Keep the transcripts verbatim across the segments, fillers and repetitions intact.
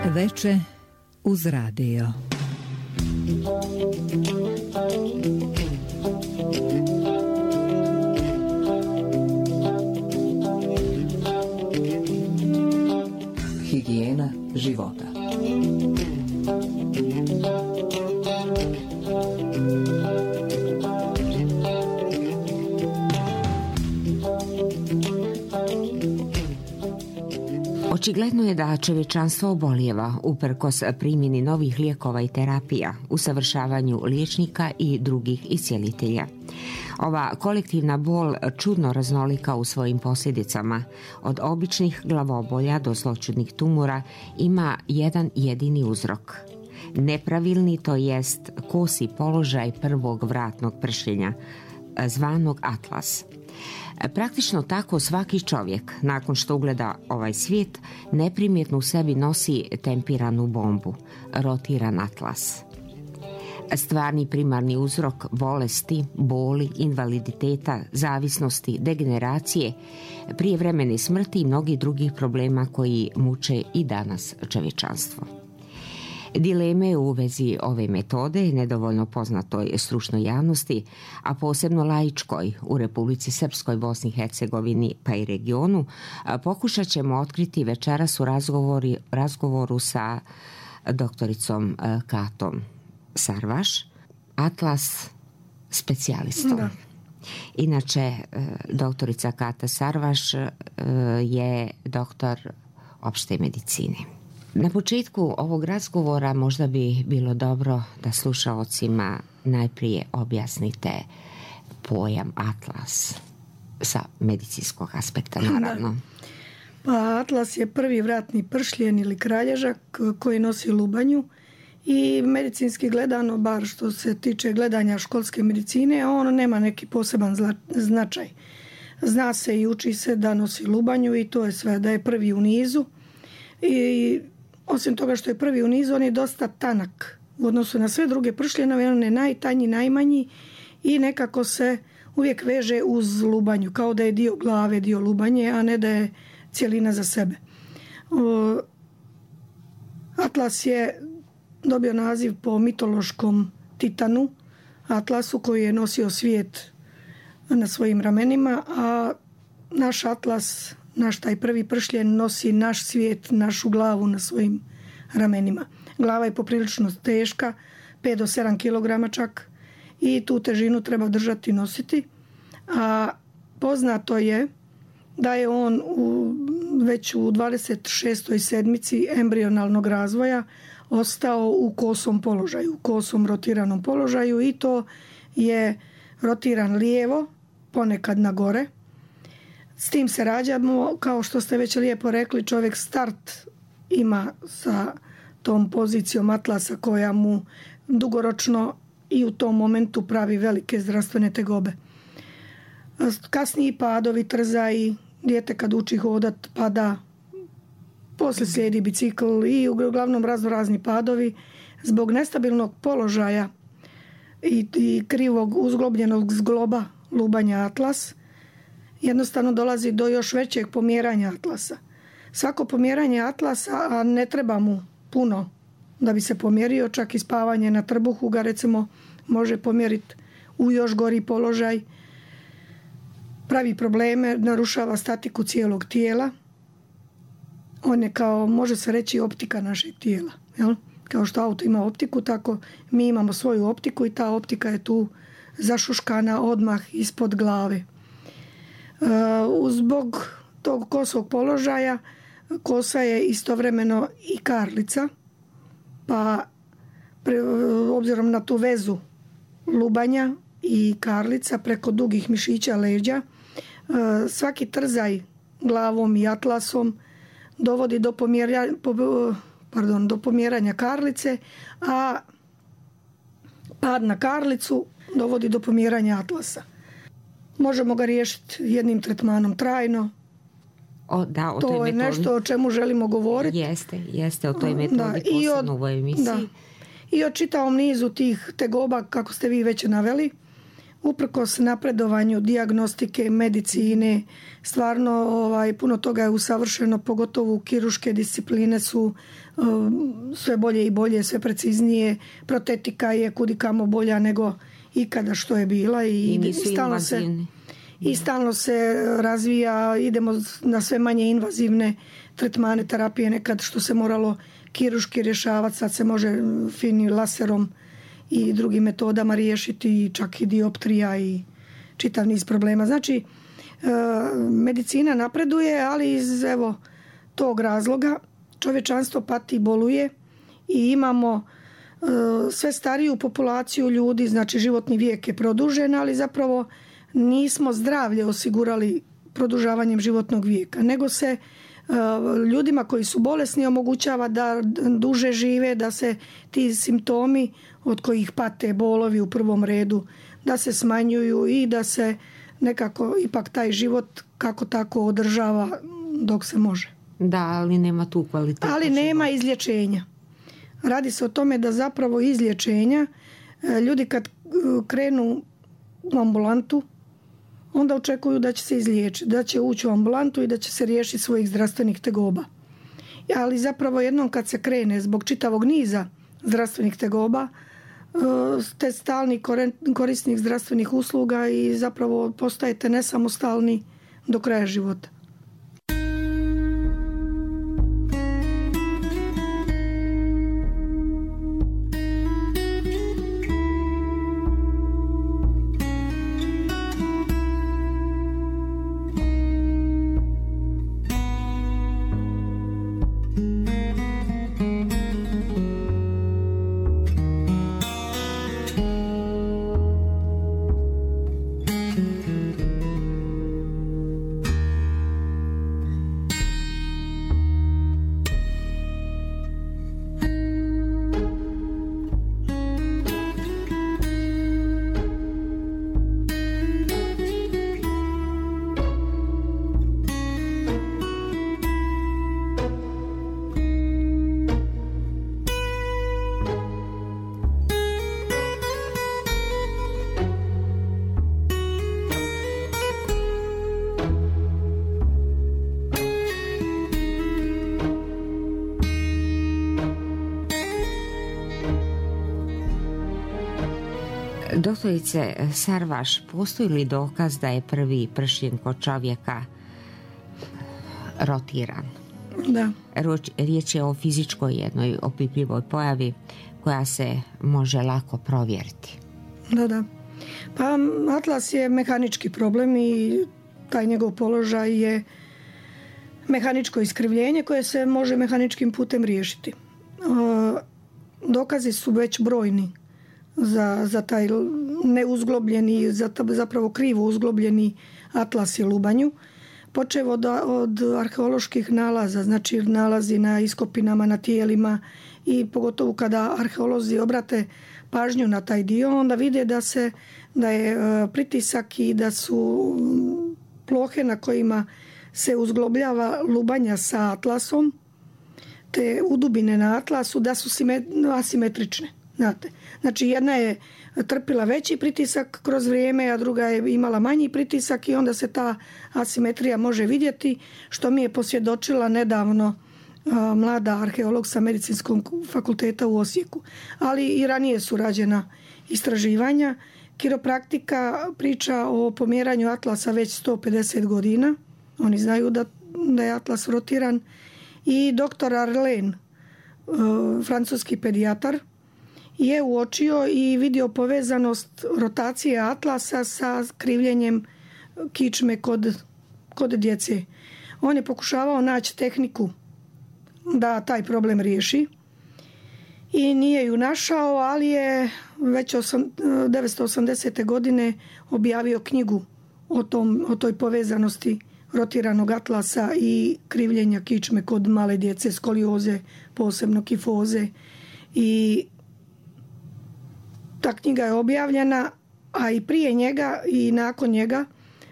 Veče uz radio. Higijena života. Očigledno je da čovječanstvo obolijeva uprkos primjeni novih lijekova i terapija, usavršavanju liječnika i drugih iscijelitelja. Ova kolektivna bol čudno raznolika u svojim posljedicama, od običnih glavobolja do zloćudnih tumora, ima jedan jedini uzrok. Nepravilni, to jest kosi položaj prvog vratnog pršljenja, zvanog atlas. Praktično tako svaki čovjek, nakon što ugleda ovaj svijet, neprimjetno u sebi nosi tempiranu bombu, rotiran atlas. Stvarni primarni uzrok bolesti, boli, invaliditeta, zavisnosti, degeneracije, prijevremene smrti i mnogih drugih problema koji muče i danas čovječanstvo. Dileme u vezi ove metode, nedovoljno poznatoj stručnoj javnosti, a posebno laičkoj u Republici Srpskoj, Bosni i Hercegovini pa i regionu, pokušat ćemo otkriti večeras u razgovori, razgovoru sa doktoricom Katom Sarvaš, atlas specijalistom. Da. Inače, doktorica Kata Sarvaš je doktor opšte medicine. Na početku ovog razgovora možda bi bilo dobro da slušaocima najprije objasnite pojam atlas sa medicinskog aspekta, naravno. Pa atlas je prvi vratni pršljen ili kralježak koji nosi lubanju i medicinski gledano, bar što se tiče gledanja školske medicine, on nema neki poseban značaj. Zna se i uči se da nosi lubanju i to je sve, da je prvi u nizu. I osim toga što je prvi u nizu, on je dosta tanak u odnosu na sve druge pršljenove, on je najtanji, najmanji i nekako se uvijek veže uz lubanju, kao da je dio glave, dio lubanje, a ne da je cijelina za sebe. O, atlas je dobio naziv po mitološkom titanu, Atlasu, koji je nosio svijet na svojim ramenima, a naš atlas, naš taj prvi pršljen, nosi naš svijet, našu glavu na svojim ramenima. Glava je poprilično teška, pet do sedam kilograma čak, i tu težinu treba držati i nositi. A poznato je da je on u, već u dvadeset šestoj sedmici embrionalnog razvoja ostao u kosom položaju, u kosom rotiranom položaju, i to je rotiran lijevo, ponekad na gore. S tim se rađamo, kao što ste već lijepo rekli, čovjek start ima sa tom pozicijom atlasa koja mu dugoročno i u tom momentu pravi velike zdravstvene tegobe. Kasniji padovi, trzaji, dijete kad uči hodat pada, poslije slijedi bicikl i uglavnom razno razni padovi. Zbog nestabilnog položaja i, i krivog uzglobljenog zgloba lubanja atlas, jednostavno dolazi do još većeg pomjeranja atlasa. Svako pomjeranje atlasa, a ne treba mu puno da bi se pomjerio, čak i spavanje na trbuhu ga recimo može pomjeriti u još gori položaj, pravi probleme, narušava statiku cijelog tijela. On je kao, može se reći, optika našeg tijela. Jel? Kao što auto ima optiku, tako mi imamo svoju optiku i ta optika je tu zašuškana odmah ispod glave. Uh, zbog tog kosog položaja kosa je istovremeno i karlica, pa pre, obzirom na tu vezu lubanja i karlica preko dugih mišića leđa, uh, svaki trzaj glavom i atlasom dovodi do pomjeranja, pardon, do pomjeranja karlice, a pad na karlicu dovodi do pomjeranja atlasa. Možemo ga riješiti jednim tretmanom trajno. O, da, o to toj je metodi. Nešto o čemu želimo govoriti. Jeste, jeste o toj metodi, da, posebno u ovoj emisiji. Da. I o čitavom nizu tih tegoba, kako ste vi već naveli, uprkos napredovanju dijagnostike, medicine, stvarno ovaj, puno toga je usavršeno, pogotovo kirurške discipline su um, sve bolje i bolje, sve preciznije. Protetika je kudikamo bolja nego ikada što je bila i, I, i stalno se i stalno se razvija, idemo na sve manje invazivne tretmane, terapije, nekad što se moralo kirurški rješavati, sad se može finim laserom i drugim metodama riješiti, čak i dioptrija i čitav niz problema. Znači, medicina napreduje, ali iz evo tog razloga čovječanstvo pati i boluje i imamo sve stariju populaciju ljudi, znači životni vijek je produžen, ali zapravo nismo zdravlje osigurali produžavanjem životnog vijeka, nego se ljudima koji su bolesni omogućava da duže žive, da se ti simptomi od kojih pate, bolovi u prvom redu, da se smanjuju i da se nekako ipak taj život kako tako održava dok se može. Da, ali nema tu kvaliteta. Ali nema izlječenja. Radi se o tome da zapravo izlječenja, ljudi kad krenu u ambulantu, onda očekuju da će se izliječiti, da će ući u ambulantu i da će se riješiti svojih zdravstvenih tegoba. Ali zapravo jednom kad se krene zbog čitavog niza zdravstvenih tegoba, ste stalni korisnik zdravstvenih usluga i zapravo postajete nesamostalni do kraja života. Doktorice Sarvaš, postoji li dokaz da je prvi pršljen kod čovjeka rotiran? Da. Riječ je o fizičkoj jednoj opipljivoj pojavi koja se može lako provjeriti. Da, da. Pa atlas je mehanički problem i taj njegov položaj je mehaničko iskrivljenje koje se može mehaničkim putem riješiti. Dokazi su već brojni za, za taj neuzglobljeni, za, zapravo krivo uzglobljeni atlas i lubanju. Počev od, od arheoloških nalaza, znači nalazi na iskopinama, na tijelima i pogotovo kada arheolozi obrate pažnju na taj dio, onda vide da, se, da je pritisak i da su plohe na kojima se uzglobljava lubanja sa atlasom, te udubine na atlasu, da su asimetrične. Znate. Znači jedna je trpila veći pritisak kroz vrijeme, a druga je imala manji pritisak i onda se ta asimetrija može vidjeti, što mi je posvjedočila nedavno a, mlada arheolog sa Medicinskog fakulteta u Osijeku. Ali i ranije su rađena istraživanja. Kiropraktika priča o pomjeranju atlasa već sto pedeset godina. Oni znaju da, da je atlas rotiran. I doktor Arlen, a, francuski pedijatar, je uočio i vidio povezanost rotacije atlasa sa krivljenjem kičme kod, kod djece. On je pokušavao naći tehniku da taj problem riješi i nije ju našao, ali je već devetsto osamdesete godine objavio knjigu o, tom, o toj povezanosti rotiranog atlasa i krivljenja kičme kod male djece, skolioze, posebno kifoze. I ta knjiga je objavljena, a i prije njega i nakon njega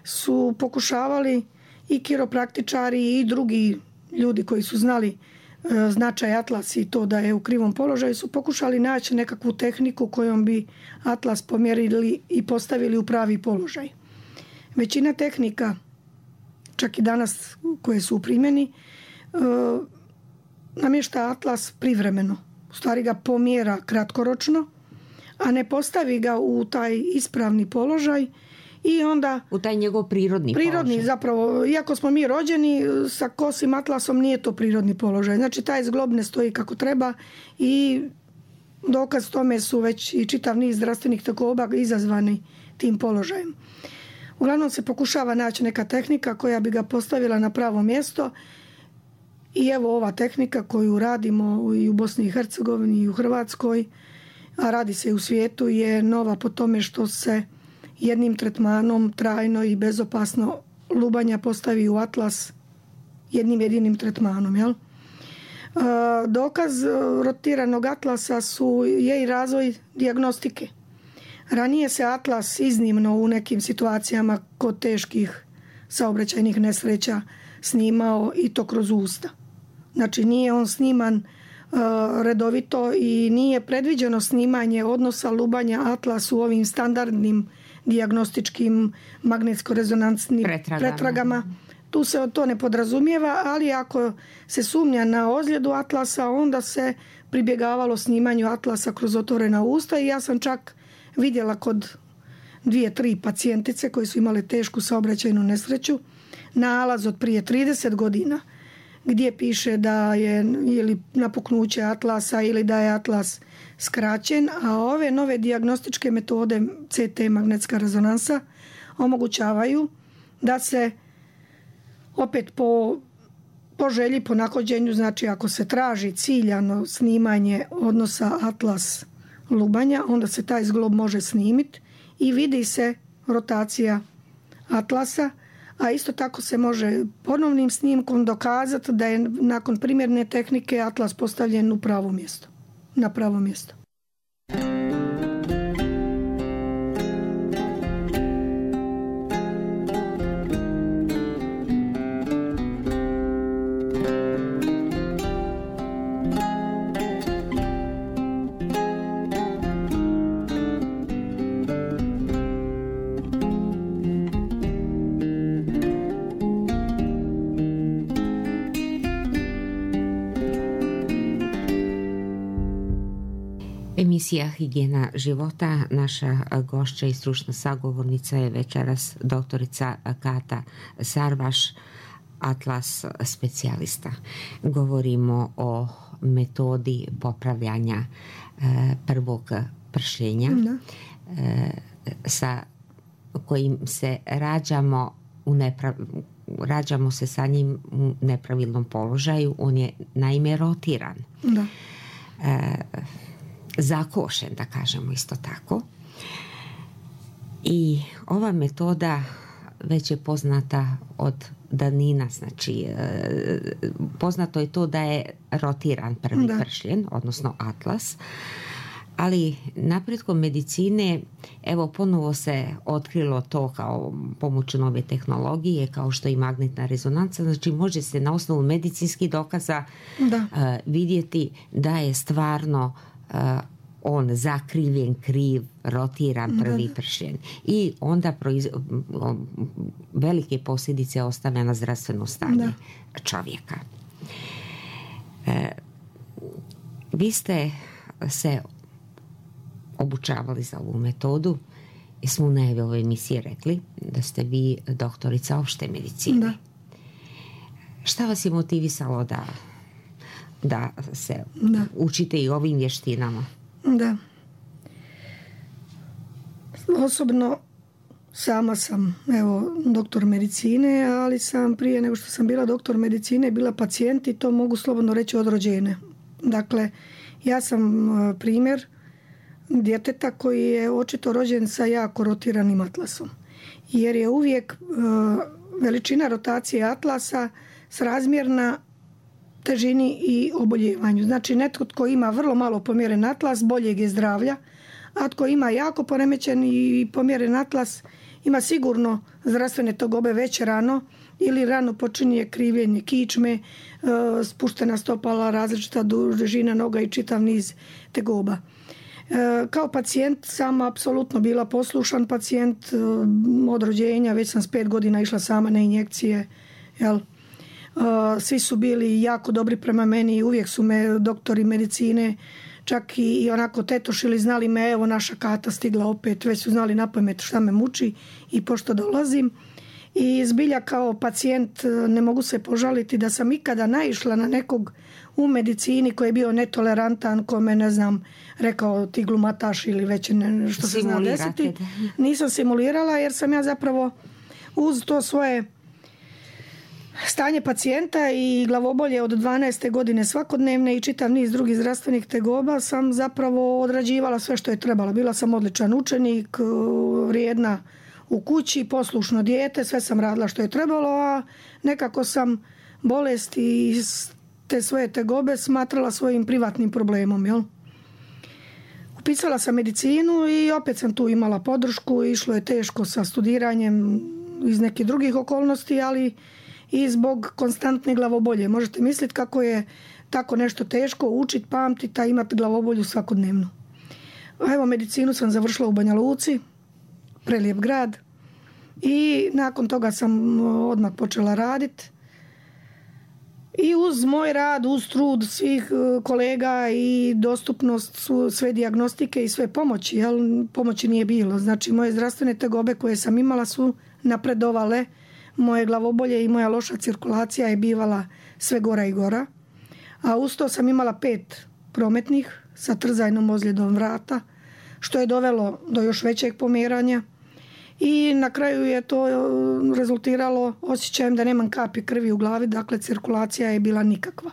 su pokušavali i kiropraktičari i drugi ljudi koji su znali značaj atlas i to da je u krivom položaju, su pokušali naći nekakvu tehniku kojom bi atlas pomjerili i postavili u pravi položaj. Većina tehnika, čak i danas koje su u primjeni, namješta atlas privremeno. U stvari ga pomjera kratkoročno, a ne postavi ga u taj ispravni položaj i onda... U taj njegov prirodni, prirodni položaj. Zapravo, iako smo mi rođeni sa kosim atlasom, nije to prirodni položaj. Znači, taj zglob ne stoji kako treba i dokaz tome su već i čitav niz zdravstvenih tegoba izazvani tim položajem. Uglavnom se pokušava naći neka tehnika koja bi ga postavila na pravo mjesto i evo ova tehnika koju radimo i u Bosni i Hercegovini i u Hrvatskoj, a radi se i u svijetu, je nova po tome što se jednim tretmanom trajno i bezopasno lubanja postavi u atlas jednim jedinim tretmanom. Jel? Dokaz rotiranog atlasa su, je i razvoj dijagnostike. Ranije se atlas iznimno u nekim situacijama kod teških saobraćajnih nesreća snimao i to kroz usta. Znači nije on sniman redovito i nije predviđeno snimanje odnosa lubanja atlas u ovim standardnim dijagnostičkim magnetsko-rezonansnim pretragama. pretragama. Tu se to ne podrazumijeva, ali ako se sumnja na ozljedu atlasa, onda se pribjegavalo snimanju atlasa kroz otvorena usta i ja sam čak vidjela kod dvije, tri pacijentice koji su imale tešku saobraćajnu nesreću nalaz od prije trideset godina gdje piše da je ili napuknuće atlasa ili da je atlas skraćen, a ove nove dijagnostičke metode C T magnetska rezonansa omogućavaju da se opet po, po želji, po nahođenju, znači ako se traži ciljano snimanje odnosa atlas lubanja, onda se taj zglob može snimiti i vidi se rotacija atlasa, a isto tako se može ponovnim snimkom dokazati da je nakon primjerne tehnike atlas postavljen u pravo mjesto, na pravo mjesto. Emisija Higijena života. Naša gošća i stručna sagovornica je večeras doktorica Kata Sarvaš, atlas specijalista. Govorimo o metodi popravljanja prvog pršljenja sa kojim se rađamo u neprav... rađamo se sa njim u nepravilnom položaju. On je naime rotiran. Da. E, zakošen, da kažemo isto tako. I ova metoda već je poznata od davnina, znači poznato je to da je rotiran prvi da. pršljen, odnosno atlas, ali napretkom medicine evo ponovo se otkrilo to kao pomoću nove tehnologije, kao što i magnetna rezonanca, znači može se na osnovu medicinskih dokaza da. Uh, vidjeti da je stvarno uh, on zakrivljen, kriv, rotiran prvi pršljen. I onda proiz... velike posljedice ostavlja na zdravstveno stanje da. čovjeka. E, vi ste se obučavali za ovu metodu i smo u najavi ove emisije rekli da ste vi doktorica opšte medicine. Da. Šta vas je motivisalo da, da se da. učite i ovim vještinama? Da. Osobno sama sam evo doktor medicine, ali sam prije nego što sam bila doktor medicine bila pacijent i to mogu slobodno reći od rođenja. Dakle, ja sam primjer djeteta koji je očito rođen sa jako rotiranim atlasom. Jer je uvijek veličina rotacije atlasa srazmjerna težini i oboljevanju. Znači netko tko ima vrlo malo pomjeren atlas boljeg je zdravlja, a tko ima jako poremećen i pomjeren atlas ima sigurno zdravstvene tegobe već rano ili rano počinje krivljenje kičme, spuštena stopala, različita dužina noga i čitav niz tegoba. Kao pacijent sam apsolutno bila poslušan pacijent od rođenja, već sam s pet godina išla sama na injekcije, jel? Svi su bili jako dobri prema meni i uvijek su me doktori medicine čak i onako tetošili, znali me, evo naša Kata stigla opet, već su znali napamet šta me muči i pošto dolazim. I zbilja kao pacijent ne mogu se požaliti da sam ikada naišla na nekog u medicini koji je bio netolerantan, kome ne znam, rekao ti glumataš ili već ne, što se zna desiti. Nisam simulirala jer sam ja zapravo uz to svoje stanje pacijenta i glavobolje od dvanaeste godine svakodnevne i čitav niz drugih zdravstvenih tegoba sam zapravo odrađivala sve što je trebalo. Bila sam odličan učenik, vrijedna u kući, poslušno dijete, sve sam radila što je trebalo, a nekako sam bolest i te svoje tegobe smatrala svojim privatnim problemom. Jel? Upisala sam medicinu i opet sam tu imala podršku, išlo je teško sa studiranjem iz nekih drugih okolnosti, ali i zbog konstantne glavobolje. Možete misliti kako je tako nešto teško učiti, pamtiti, a imati glavobolju svakodnevno. Evo, medicinu sam završila u Banja Luci, prelijep grad, i nakon toga sam odmah počela raditi. I uz moj rad, uz trud svih kolega i dostupnost su sve dijagnostike i sve pomoći, jel? Pomoći nije bilo. Znači, moje zdravstvene tegobe koje sam imala su napredovale, moje glavobolje i moja loša cirkulacija je bivala sve gora i gora. A uz to sam imala pet prometnih sa trzajnom ozljedom vrata, što je dovelo do još većeg pomjeranja. I na kraju je to rezultiralo osjećajem da nemam kapi krvi u glavi, dakle cirkulacija je bila nikakva.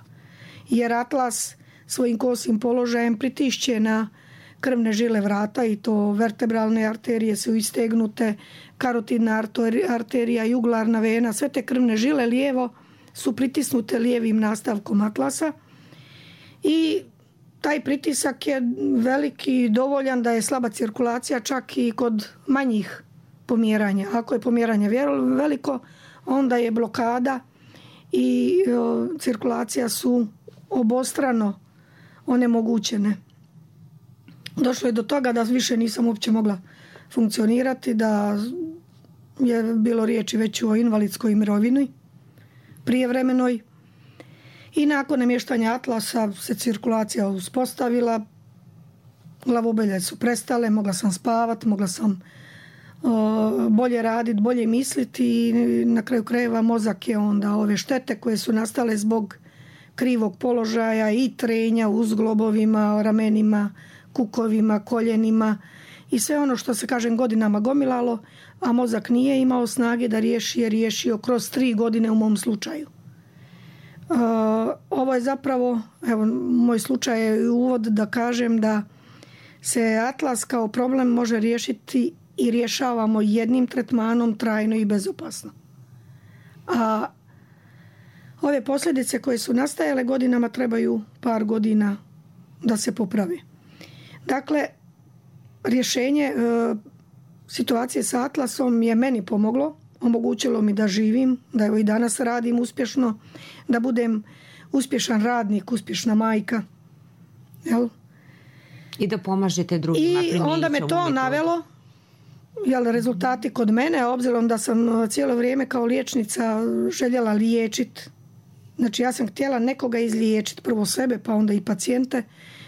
Jer atlas svojim kosim položajem pritišće na krvne žile vrata i to vertebralne arterije su istegnute, karotidna arterija, juglarna vena, sve te krvne žile lijevo su pritisnute lijevim nastavkom atlasa i taj pritisak je veliki, dovoljan da je slaba cirkulacija čak i kod manjih pomjeranja. Ako je pomjeranje veliko, onda je blokada i cirkulacija su obostrano onemogućene. Došlo je do toga da više nisam uopće mogla funkcionirati, da je bilo riječi već o invalidskoj mirovini prijevremenoj. I nakon namještanja atlasa se cirkulacija uspostavila, glavobolje su prestale, mogla sam spavati, mogla sam o, bolje raditi, bolje misliti i na kraju krajeva mozak je onda ove štete koje su nastale zbog krivog položaja i trenja u zglobovima, ramenima, kukovima, koljenima i sve ono što se kažem godinama gomilalo, a mozak nije imao snage da riješi, je riješio kroz tri godine u mom slučaju. Uh, ovo je zapravo, evo, moj slučaj je uvod da kažem da se atlas kao problem može riješiti i rješavamo jednim tretmanom trajno i bezopasno. A ove posljedice koje su nastajale godinama trebaju par godina da se popravi. Dakle, rješenje e, situacije sa atlasom je meni pomoglo, omogućilo mi da živim, da evo i danas radim uspješno, da budem uspješan radnik, uspješna majka. Jel? I da pomažete drugima. I onda me to navelo, jel, rezultati kod mene, obzirom da sam cijelo vrijeme kao liječnica željela liječiti. Znači ja sam htjela nekoga izliječiti, prvo sebe pa onda i pacijente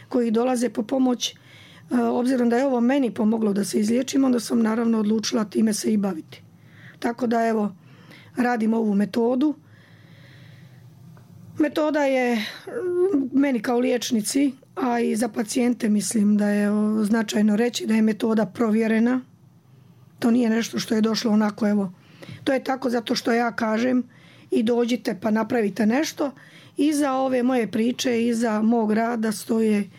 koji dolaze po pomoć. Obzirom da je ovo meni pomoglo da se izliječim, onda sam naravno odlučila time se i baviti. Tako da evo, radim ovu metodu. Metoda je meni kao liječnici, a i za pacijente mislim da je značajno reći da je metoda provjerena. To nije nešto što je došlo onako, evo. To je tako zato što ja kažem i dođite pa napravite nešto. Iza ove moje priče, iza mog rada stoje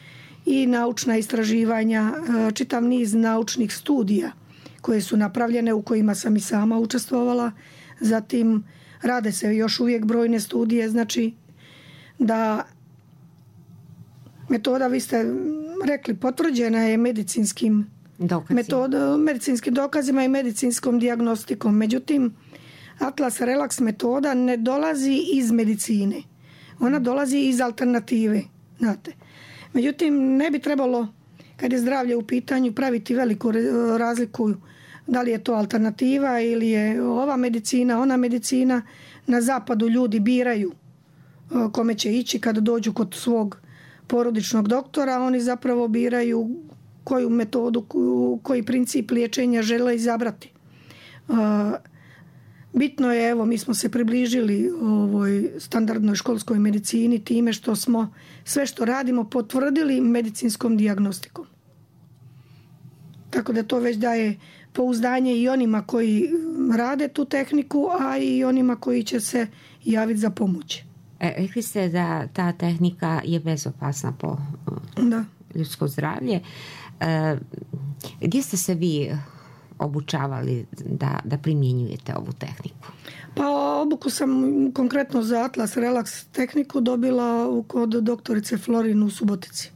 i naučna istraživanja, čitav niz naučnih studija koje su napravljene, u kojima sam i sama učestvovala. Zatim rade se još uvijek brojne studije, znači da metoda, vi ste rekli, potvrđena je medicinskim metod, medicinskim dokazima i medicinskom dijagnostikom. Međutim, Atlas Relax metoda ne dolazi iz medicine. Ona dolazi iz alternative. Znate. Međutim, ne bi trebalo, kad je zdravlje u pitanju, praviti veliku razliku da li je to alternativa ili je ova medicina, ona medicina. Na zapadu ljudi biraju kome će ići kada dođu kod svog porodičnog doktora. Oni zapravo biraju koju metodu, koji princip liječenja žele izabrati. Bitno je, evo, mi smo se približili ovoj standardnoj školskoj medicini time što smo sve što radimo potvrdili medicinskom dijagnostikom. Tako da to već daje pouzdanje i onima koji rade tu tehniku, a i onima koji će se javiti za pomoć. E, rekli ste da ta tehnika je bezopasna po da. ljudsko zdravlje. E, gdje ste se vi obučavali da, da primjenjujete ovu tehniku? Pa obuku sam konkretno za Atlas Relax tehniku dobila kod doktorice Florin u Subotici.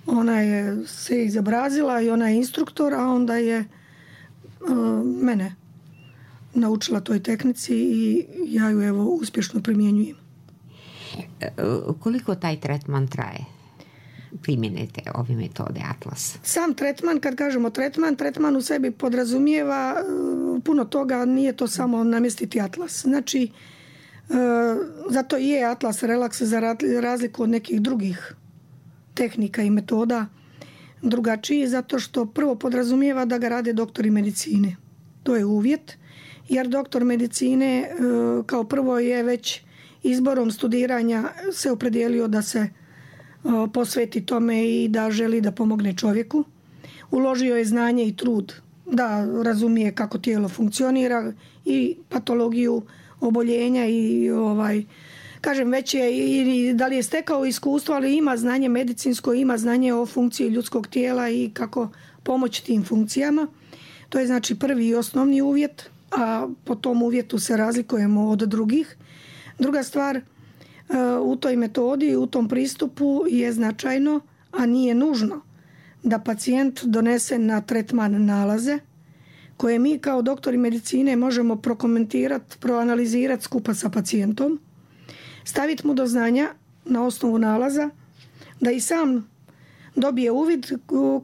Ona je se izobrazila i ona je instruktor, a onda je uh, mene naučila toj tehnici i ja ju evo uspješno primjenjujem. E, koliko taj tretman traje? Primjenite ove metode Atlas? Sam tretman, kad kažemo tretman, tretman u sebi podrazumijeva puno toga, nije to samo namjestiti Atlas. Znači, zato i je Atlas Relax za razliku od nekih drugih tehnika i metoda drugačiji, zato što prvo podrazumijeva da ga rade doktori medicine. To je uvjet, jer doktor medicine kao prvo je već izborom studiranja se opredijelio da se posveti tome i da želi da pomogne čovjeku. Uložio je znanje i trud da razumije kako tijelo funkcionira i patologiju oboljenja i ovaj, kažem, već je i da li je stekao iskustvo, ali ima znanje medicinsko, ima znanje o funkciji ljudskog tijela i kako pomoći tim funkcijama. To je znači prvi i osnovni uvjet, a po tom uvjetu se razlikujemo od drugih. Druga stvar, u toj metodi, u tom pristupu je značajno, a nije nužno, da pacijent donese na tretman nalaze koje mi kao doktori medicine možemo prokomentirati, proanalizirati skupa sa pacijentom, staviti mu do znanja na osnovu nalaza da i sam dobije uvid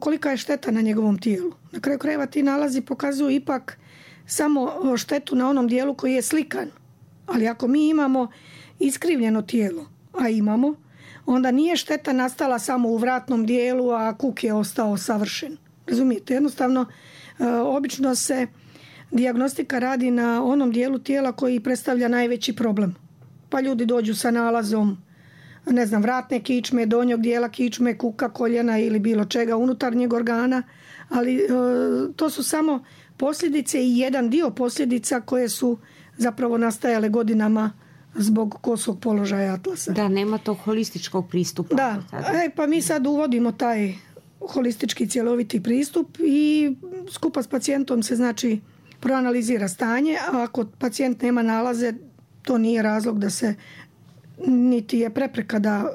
kolika je šteta na njegovom tijelu. Na kraju krajeva ti nalazi pokazuju ipak samo štetu na onom dijelu koji je slikan. Ali ako mi imamo iskrivljeno tijelo, a imamo, onda nije šteta nastala samo u vratnom dijelu, a kuk je ostao savršen. Razumijete? Jednostavno, obično se dijagnostika radi na onom dijelu tijela koji predstavlja najveći problem. Pa ljudi dođu sa nalazom, ne znam, vratne kičme, donjog dijela kičme, kuka, koljena ili bilo čega unutarnjeg organa, ali to su samo posljedice i jedan dio posljedica koje su zapravo nastajale godinama zbog kosog položaja Atlasa. Da, nema tog holističkog pristupa. Da, e, pa mi sad uvodimo taj holistički cjeloviti pristup i skupa s pacijentom se znači proanalizira stanje, a ako pacijent nema nalaze, to nije razlog da se, niti je prepreka da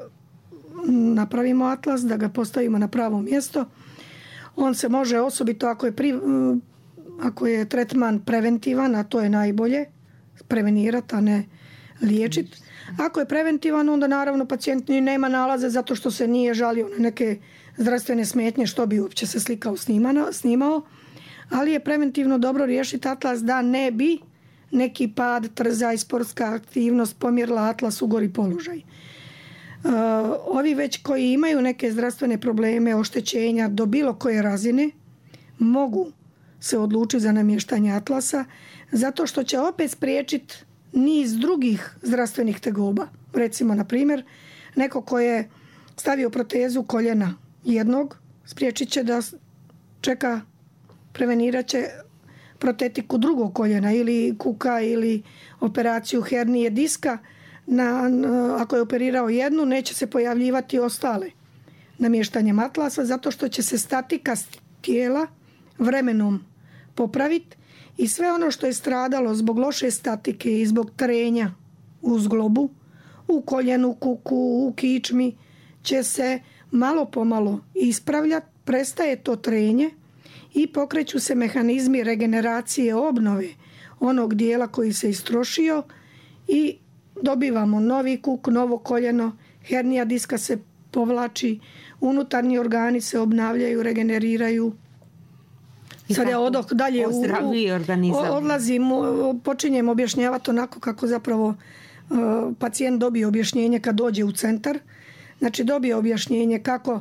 napravimo Atlas, da ga postavimo na pravo mjesto. On se može osobito ako je, pri, ako je tretman preventivan, a to je najbolje, prevenirati, a ne liječiti. Ako je preventivan, onda naravno pacijent nema nalaze zato što se nije žalio na neke zdravstvene smetnje, što bi uopće se slikao snimano, snimao, ali je preventivno dobro riješiti Atlas da ne bi neki pad, trzaj, sportska aktivnost pomjerila Atlas u gori položaj. Uh, ovi već koji imaju neke zdravstvene probleme, oštećenja do bilo koje razine, mogu se odlučiti za namještanje Atlasa zato što će opet spriječiti niz drugih zdravstvenih tegoba. Recimo, na primjer, neko ko je stavio protezu koljena jednog, spriječit će da čeka, prevenirat će protetiku drugog koljena ili kuka ili operaciju hernije diska. Na, ako je operirao jednu, neće se pojavljivati ostale namještanjem Atlasa zato što će se statika tijela vremenom popraviti i sve ono što je stradalo zbog loše statike i zbog trenja u zglobu, u koljenu, kuku, u kičmi će se malo pomalo ispravljati, prestaje to trenje i pokreću se mehanizmi regeneracije obnove onog dijela koji se istrošio i dobivamo novi kuk, novo koljeno, hernija diska se povlači, unutarnji organi se obnavljaju, regeneriraju. Sad ja odoh dalje, u, u, odlazim, počinjem objašnjavati onako kako zapravo uh, pacijent dobije objašnjenje kad dođe u centar. Znači dobije objašnjenje kako,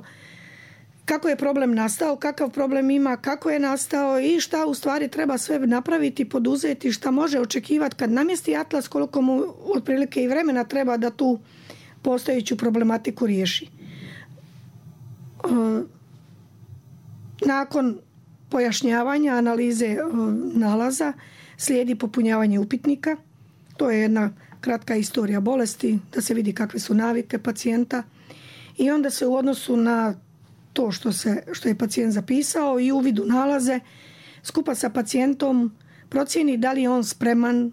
kako je problem nastao, kakav problem ima, kako je nastao i šta u stvari treba sve napraviti, poduzeti, šta može očekivati kad namjesti atlas, koliko mu otprilike i vremena treba da tu postojeću problematiku riješi. Uh, nakon pojašnjavanja, analize nalaza, slijedi popunjavanje upitnika. To je jedna kratka istorija bolesti, da se vidi kakve su navike pacijenta i onda se u odnosu na to što, se, što je pacijent zapisao i uvid u nalaze, skupa sa pacijentom procijeni da li je on spreman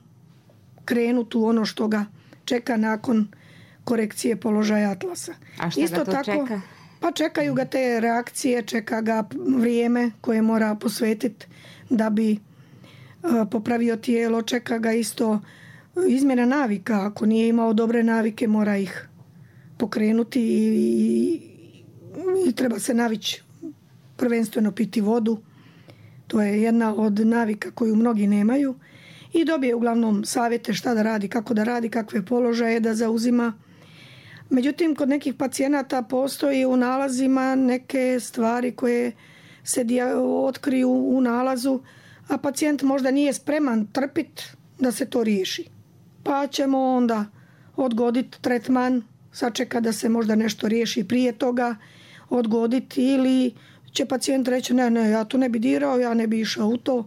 krenuti u ono što ga čeka nakon korekcije položaja atlasa. A šta Isto ga to tako, čeka? Pa čekaju ga te reakcije, čeka ga vrijeme koje mora posvetiti da bi popravio tijelo, čeka ga isto izmjena navika. Ako nije imao dobre navike, mora ih pokrenuti i, i, i treba se navići prvenstveno piti vodu. To je jedna od navika koju mnogi nemaju. I dobije uglavnom savjete šta da radi, kako da radi, kakve položaje da zauzima. Međutim, kod nekih pacijenata postoji u nalazima neke stvari koje se otkriju u nalazu, a pacijent možda nije spreman trpiti da se to riješi. Pa ćemo onda odgoditi tretman, sačeka da se možda nešto riješi prije toga, odgoditi ili će pacijent reći ne, ne, ja to ne bi dirao, ja ne bi išao u to,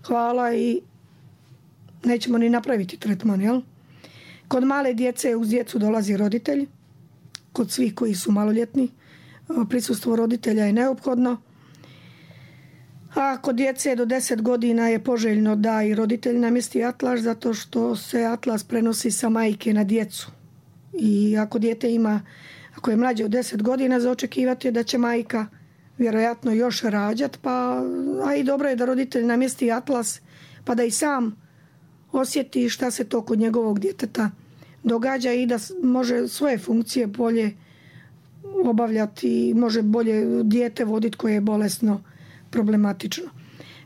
hvala i nećemo ni napraviti tretman, jel? Kod male djece uz djecu dolazi roditelj. Kod svih koji su maloljetni prisustvo roditelja je neophodno. A kod djece do deset godina je poželjno da i roditelj namjesti atlas zato što se atlas prenosi sa majke na djecu. I ako dijete ima, ako je mlađe od deset godina, za očekivati je da će majka vjerojatno još rađati, pa, a i dobro je da roditelj namjesti atlas pa da i sam osjeti šta se to kod njegovog djeteta događa i da može svoje funkcije bolje obavljati, može bolje dijete voditi koje je bolesno, problematično.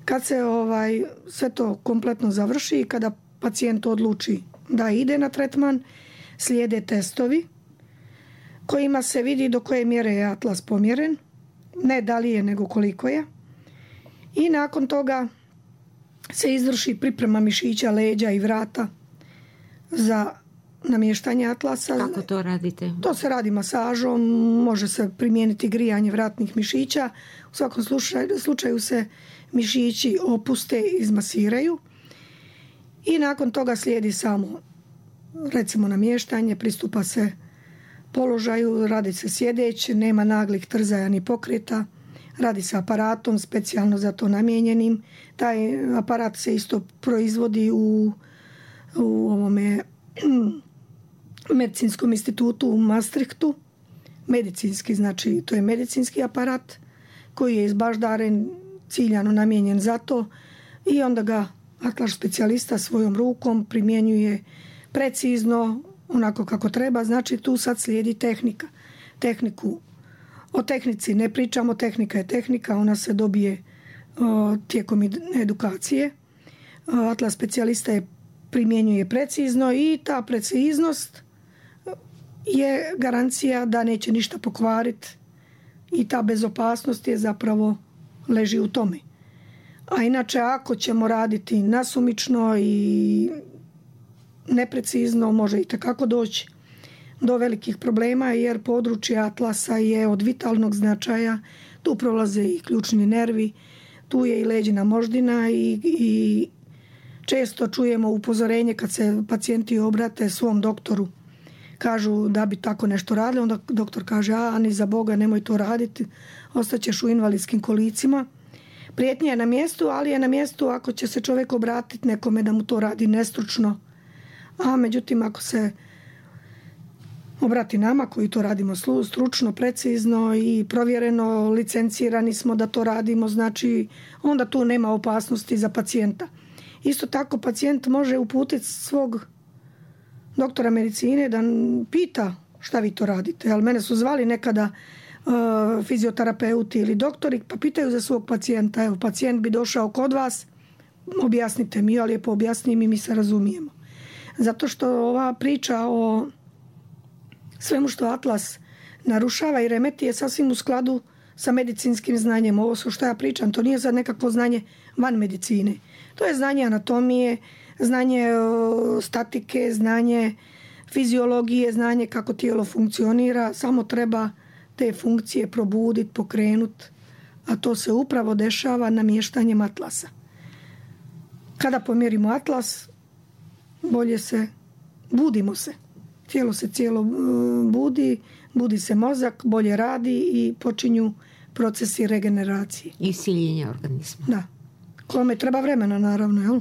Kad se ovaj, sve to kompletno završi i kada pacijent odluči da ide na tretman, slijede testovi kojima se vidi do koje mjere je atlas pomjeren, ne da li je nego koliko je. I nakon toga se izvrši priprema mišića, leđa i vrata za namještanje atlasa. Kako to radite? To se radi masažom, može se primijeniti grijanje vratnih mišića. U svakom slučaju, slučaju se mišići opuste i izmasiraju. I nakon toga slijedi samo, recimo, namještanje, pristupa se položaju, radi se sjedeć, nema naglih trzaja ni pokreta, radi se aparatom specijalno za to namijenjenim. Taj aparat se isto proizvodi u, u ovome medicinskom institutu u Maastrichtu. Medicinski, znači to je medicinski aparat koji je izbaždaren, ciljano namijenjen za to i onda ga atlas specijalista svojom rukom primjenjuje precizno, onako kako treba. Znači tu sad slijedi tehnika. Tehniku, o tehnici ne pričamo, tehnika je tehnika, ona se dobije o, tijekom edukacije. O, atlas specijalista je primjenjuje precizno i ta preciznost je garancija da neće ništa pokvariti i ta bezopasnost je zapravo leži u tome. A inače ako ćemo raditi nasumično i neprecizno, može i takako doći do velikih problema jer područje atlasa je od vitalnog značaja. Tu prolaze i ključni nervi, tu je i leđina moždina i, i često čujemo upozorenje kad se pacijenti obrate svom doktoru. Kažu da bi tako nešto radili, onda doktor kaže a ni za Boga nemoj to raditi, ostaćeš u invalidskim kolicima. Prijetnja je na mjestu, ali je na mjestu ako će se čovjek obratiti nekome da mu to radi nestručno. A međutim ako se obrati nama koji to radimo stručno, precizno i provjereno, licencirani smo da to radimo, znači onda tu nema opasnosti za pacijenta. Isto tako pacijent može uputiti svog doktora medicine da pita šta vi to radite. Ali mene su zvali nekada uh, fizioterapeuti ili doktori pa pitaju za svog pacijenta. Evo, pacijent bi došao kod vas, objasnite mi, ja lijepo objasnim i mi se razumijemo. Zato što ova priča o svemu što Atlas narušava i remeti je sasvim u skladu sa medicinskim znanjem. Ovo što ja pričam, to nije sad nekakvo znanje van medicine. To je znanje anatomije, znanje statike, znanje fiziologije, znanje kako tijelo funkcionira. Samo treba te funkcije probuditi, pokrenuti. A to se upravo dešava namještanjem atlasa. Kada pomjerimo atlas, bolje se, budimo se. Tijelo se cijelo budi, budi se mozak, bolje radi i počinju procesi regeneracije. I siljenja organizma. Da. Kome treba vremena, naravno, jel?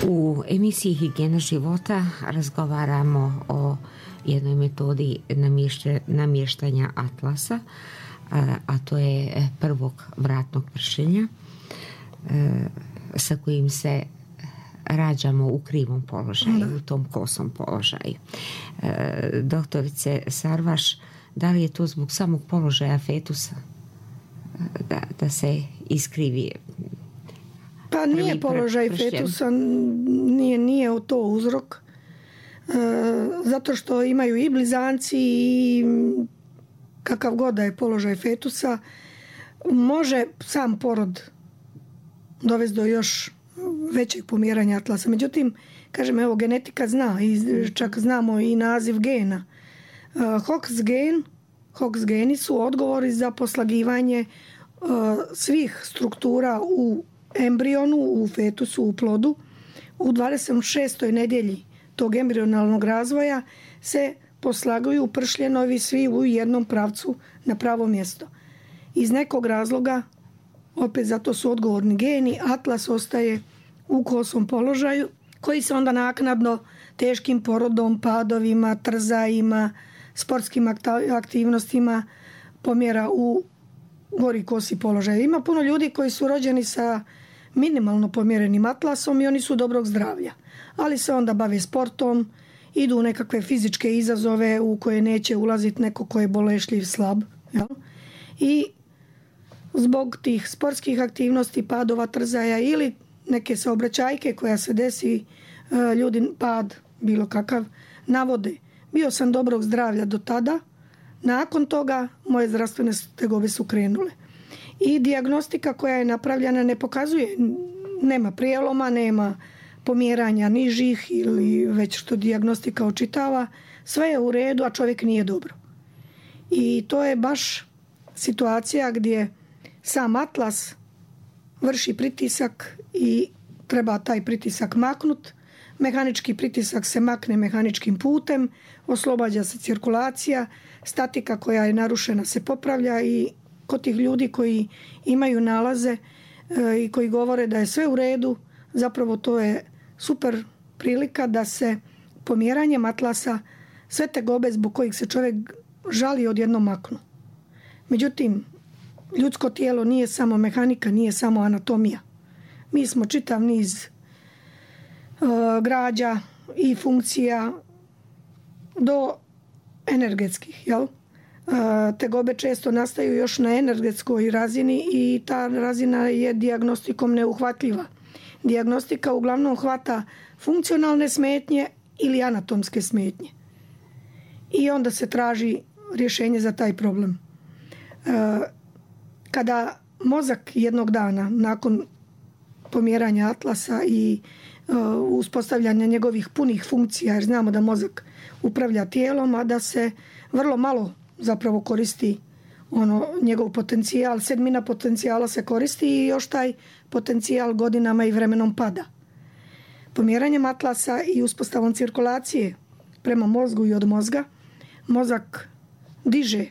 U emisiji Higijena života razgovaramo o jednoj metodi namještanja atlasa, a to je prvog vratnog pršenja sa kojim se rađamo u krivom položaju, u tom kosom položaju. Doktorice Sarvaš, da li je to zbog samog položaja fetusa da, da se iskrivi? Pa nije položaj fetusa, nije, nije to uzrok. E, zato što imaju i blizanci i kakav god da je položaj fetusa, može sam porod dovesti do još većeg pomjeranja atlasa. Međutim, kažem, evo, genetika zna i čak znamo i naziv gena. E, Hox gen, Hox geni su odgovori za poslagivanje e, svih struktura u embrionu, u fetusu, u plodu. U dvadeset šestoj nedjelji tog embrionalnog razvoja se poslaguju pršljenovi svi u jednom pravcu na pravo mjesto. Iz nekog razloga, opet zato su odgovorni geni, atlas ostaje u kosom položaju koji se onda naknadno teškim porodom, padovima, trzajima, sportskim aktivnostima pomjera u gori kosi položaj. Ima puno ljudi koji su rođeni sa minimalno pomjerenim atlasom i oni su dobrog zdravlja. Ali se onda bave sportom, idu u nekakve fizičke izazove u koje neće ulaziti neko ko je bolešljiv, slab. Jel? I zbog tih sportskih aktivnosti, padova, trzaja ili neke saobraćajke koja se desi, ljudi pad bilo kakav navode. Bio sam dobrog zdravlja do tada, nakon toga moje zdravstvene tegobe su krenule. I dijagnostika koja je napravljena ne pokazuje, nema prijeloma, nema pomjeranja nižih ili već što dijagnostika očitava, sve je u redu, a čovjek nije dobro. I to je baš situacija gdje sam atlas vrši pritisak i treba taj pritisak maknut. Mehanički pritisak se makne mehaničkim putem, oslobađa se cirkulacija, statika koja je narušena se popravlja i kod tih ljudi koji imaju nalaze e, i koji govore da je sve u redu, zapravo to je super prilika da se pomjeranjem atlasa sve tegobe zbog kojih se čovjek žali odjednom maknu. Međutim, ljudsko tijelo nije samo mehanika, nije samo anatomija. Mi smo čitav niz e, građa i funkcija do energetskih, jel? Tegobe često nastaju još na energetskoj razini i ta razina je dijagnostikom neuhvatljiva. Dijagnostika uglavnom hvata funkcionalne smetnje ili anatomske smetnje. I onda se traži rješenje za taj problem. Kada mozak jednog dana, nakon pomjeranja atlasa i uspostavljanja njegovih punih funkcija, jer znamo da mozak upravlja tijelom, a da se vrlo malo zapravo koristi ono, njegov potencijal, sedmina potencijala se koristi i još taj potencijal godinama i vremenom pada. Pomjeranjem atlasa i uspostavom cirkulacije prema mozgu i od mozga, mozak diže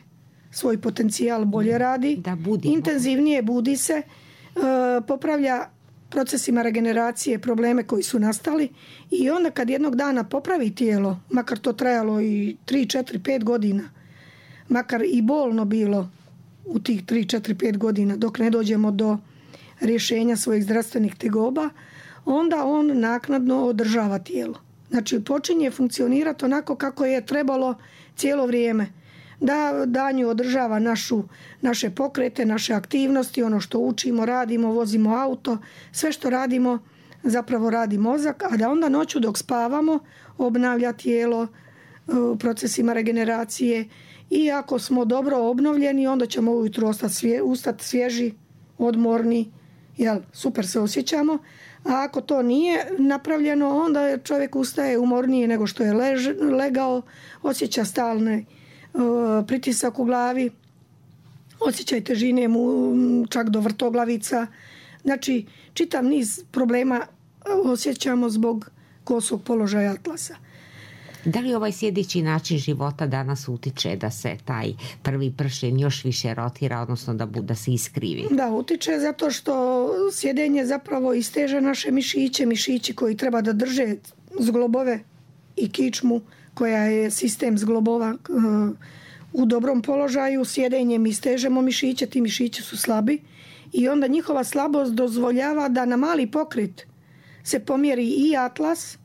svoj potencijal, bolje radi, da budi, intenzivnije budi se, popravlja procesima regeneracije probleme koji su nastali i onda kad jednog dana popravi tijelo, makar to trajalo i tri, četiri, pet godina, makar i bolno bilo u tih tri, četiri, pet godina dok ne dođemo do rješenja svojih zdravstvenih tegoba, onda on naknadno održava tijelo. Znači počinje funkcionirati onako kako je trebalo cijelo vrijeme. Da danju održava našu, naše pokrete, naše aktivnosti, ono što učimo, radimo, vozimo auto, sve što radimo zapravo radi mozak, a da onda noću dok spavamo obnavlja tijelo u procesima regeneracije i ako smo dobro obnovljeni onda ćemo ujutro ustati svježi, odmorni, jel, super se osjećamo, a ako to nije napravljeno onda čovjek ustaje umorniji nego što je lež, legao, osjeća stalne pritisak u glavi, osjećaj težine mu čak do vrtoglavica. Znači, čitav niz problema osjećamo zbog kosog položaja atlasa. Da li ovaj sjedeći način života danas utiče da se taj prvi pršljen još više rotira, odnosno da, da se iskrivi? Da, utiče zato što sjedenje zapravo isteže naše mišiće, mišići koji treba da drže zglobove i kičmu koja je sistem zglobova u dobrom položaju. Sjedenjem istežemo mišiće, ti mišići su slabi i onda njihova slabost dozvoljava da na mali pokret se pomjeri i atlas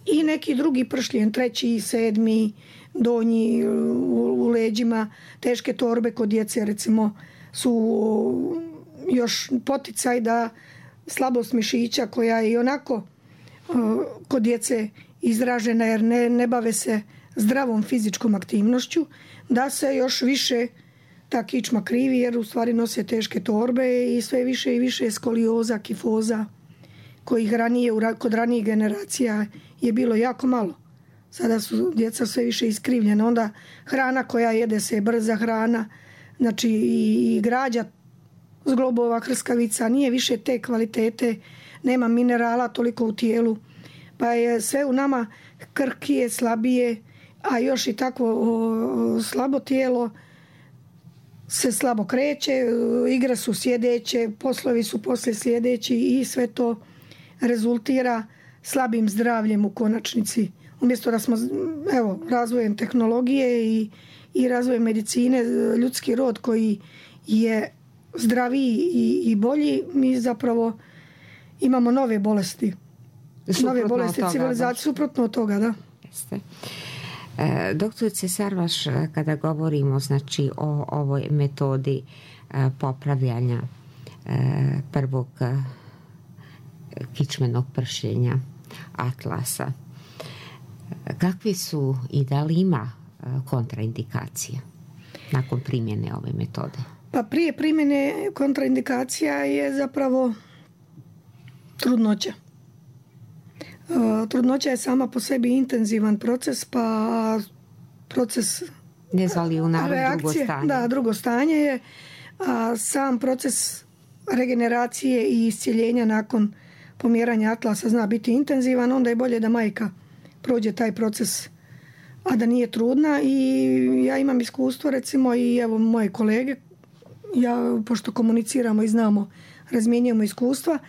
i neki drugi pršljen, treći, sedmi, donji u leđima, teške torbe kod djece recimo su još poticaj da slabost mišića koja je i onako kod djece izražena jer ne, ne bave se zdravom fizičkom aktivnošću, da se još više ta kičma krivi jer u stvari nose teške torbe i sve više i više skolioza, kifoza kojih ranije, kod ranijih generacija je bilo jako malo. Sada su djeca sve više iskrivljena. Onda hrana koja jede se je brza hrana, znači i građa zglobova, hrskavica nije više te kvalitete, nema minerala toliko u tijelu, pa je sve u nama krkije, slabije, a još i takvo slabo tijelo se slabo kreće, igre su sjedeće, poslovi su poslije sljedeći i sve to rezultira slabim zdravljem u konačnici. Umjesto da smo, evo, razvojem tehnologije i, i razvojem medicine, ljudski rod koji je zdraviji i, i bolji, mi zapravo imamo nove bolesti. Suprotno nove bolesti civilizacije, suprotno od toga, da. Jeste. E, doktorice Sarvaš, kada govorimo znači o ovoj metodi e, popravljanja e, prvog e, kičmenog pršljenja atlasa, kakvi su i da li ima kontraindikacija nakon primjene ove metode? Pa prije primjene kontraindikacija je zapravo trudnoća. Trudnoća je sama po sebi intenzivan proces, pa proces ne zvali u narod reakcije, drugo stanje. Da, drugo stanje je, a sam proces regeneracije i iscijeljenja nakon pomjeranja atlasa zna biti intenzivan, onda je bolje da majka prođe taj proces, a da nije trudna. I ja imam iskustvo, recimo, i evo moje kolege, ja, pošto komuniciramo i znamo, razmjenjujemo iskustva,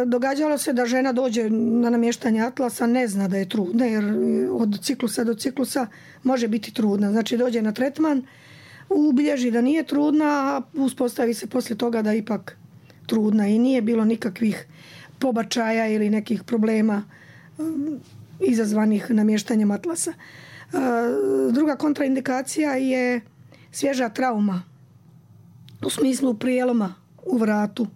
događalo se da žena dođe na namještanje atlasa, ne zna da je trudna, jer od ciklusa do ciklusa može biti trudna. Znači dođe na tretman, ubilježi da nije trudna, a uspostavi se poslije toga da je ipak trudna i nije bilo nikakvih pobačaja ili nekih problema izazvanih namještanjem atlasa. Druga kontraindikacija je svježa trauma u smislu prijeloma u vratu.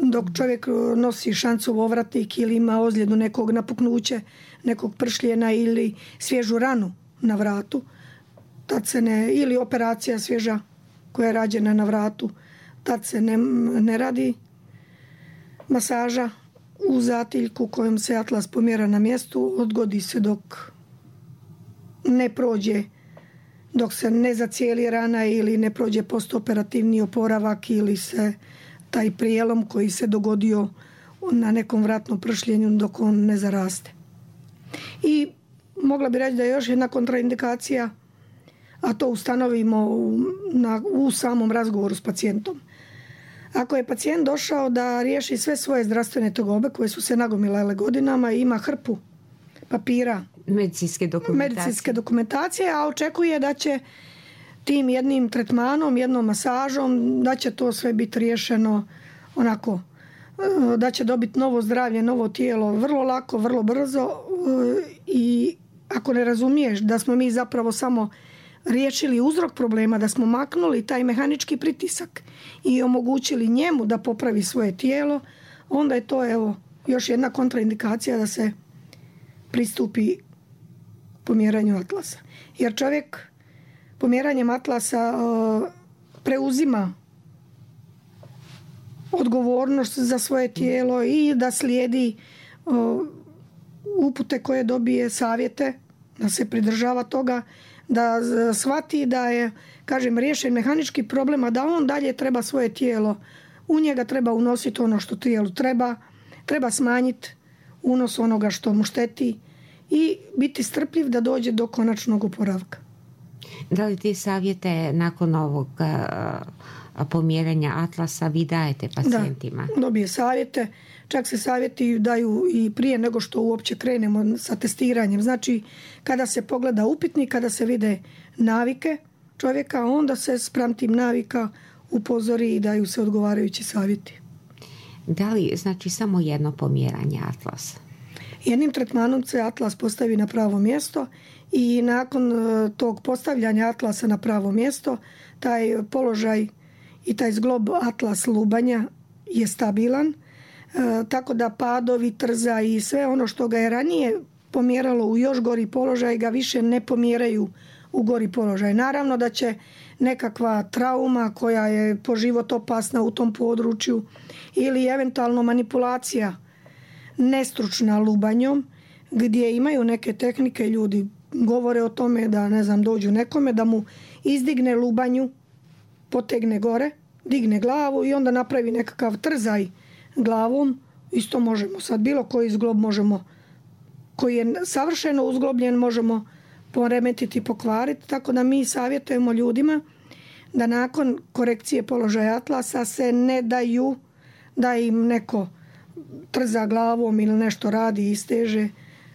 Dok čovjek nosi šancov ovratnik ili ima ozljedu nekog napuknuće, nekog pršljena ili svježu ranu na vratu, tad se ne, ili operacija svježa koja je rađena na vratu, tad se ne, ne radi masaža u zatiljku kojom se atlas pomjera na mjestu, odgodi se dok ne prođe, dok se ne zacijeli rana ili ne prođe postoperativni oporavak ili se taj prijelom koji se dogodio na nekom vratnom pršljenju dok on ne zaraste. I mogla bi reći da je još jedna kontraindikacija, a to ustanovimo u, na, u samom razgovoru s pacijentom. Ako je pacijent došao da riješi sve svoje zdravstvene tegobe koje su se nagomilale godinama i ima hrpu papira, medicinske dokumentacije. medicinske dokumentacije, a očekuje da će tim jednim tretmanom, jednom masažom, da će to sve biti riješeno onako, da će dobiti novo zdravlje, novo tijelo vrlo lako, vrlo brzo, i ako ne razumiješ da smo mi zapravo samo riješili uzrok problema, da smo maknuli taj mehanički pritisak i omogućili njemu da popravi svoje tijelo, onda je to evo još jedna kontraindikacija da se pristupi pomjeranju atlasa. Jer čovjek pomjeranjem atlasa preuzima odgovornost za svoje tijelo i da slijedi upute koje dobije, savjete, da se pridržava toga, da shvati da je, kažem, riješen mehanički problem, a da on dalje treba svoje tijelo, u njega treba unositi ono što tijelu treba, treba smanjiti unos onoga što mu šteti i biti strpljiv da dođe do konačnog oporavka. Da li ti savjete nakon ovog pomjeranja atlasa vi dajete pacijentima? Da, dobije savjete. Čak se savjeti daju i prije nego što uopće krenemo sa testiranjem. Znači, kada se pogleda upitnik, kada se vide navike čovjeka, onda se spram tim navika upozori i daju se odgovarajući savjeti. Da li znači samo jedno pomjeranje atlasa? Jednim tretmanom se atlas postavi na pravo mjesto i nakon tog postavljanja atlasa na pravo mjesto, taj položaj i taj zglob atlas lubanja je stabilan, e, tako da padovi, trza i sve ono što ga je ranije pomjeralo u još gori položaj ga više ne pomjeraju u gori položaj. Naravno da će nekakva trauma koja je po život opasna u tom području ili eventualno manipulacija nestručna lubanjom, gdje imaju neke tehnike, ljudi govore o tome da, ne znam, dođu nekome da mu izdigne lubanju, potegne gore, digne glavu i onda napravi nekakav trzaj glavom. Isto možemo sad, bilo koji zglob možemo, koji je savršeno uzglobljen, možemo poremetiti, pokvariti, tako da mi savjetujemo ljudima da nakon korekcije položaja atlasa se ne daju da im neko trza glavom ili nešto radi i isteže.